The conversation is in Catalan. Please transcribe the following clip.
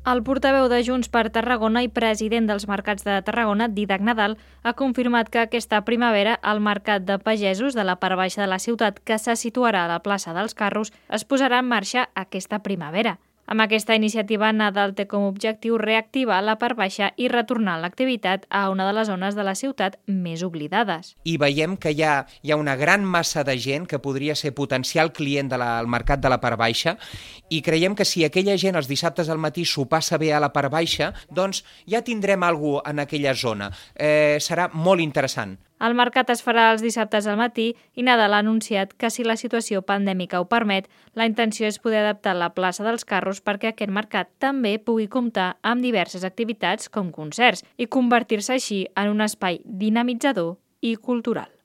El portaveu de Junts per Tarragona i president dels Mercats de Tarragona, Dídac Nadal, ha confirmat que aquesta primavera el Mercat de Pagesos de la part baixa de la ciutat, que se situarà a la plaça dels Carros, es posarà en marxa aquesta primavera. Amb aquesta iniciativa, Nadal té com a objectiu reactivar la part baixa i retornar l'activitat a una de les zones de la ciutat més oblidades. I veiem que hi ha una gran massa de gent que podria ser potencial client del mercat de la part baixa i creiem que si aquella gent els dissabtes al matí s'ho passa bé a la part baixa, doncs ja tindrem alguna cosa en aquella zona. Serà molt interessant. El mercat es farà els dissabtes al matí i Nadal ha anunciat que si la situació pandèmica ho permet, la intenció és poder adaptar la plaça dels Carros perquè aquest mercat també pugui comptar amb diverses activitats com concerts i convertir-se així en un espai dinamitzador i cultural.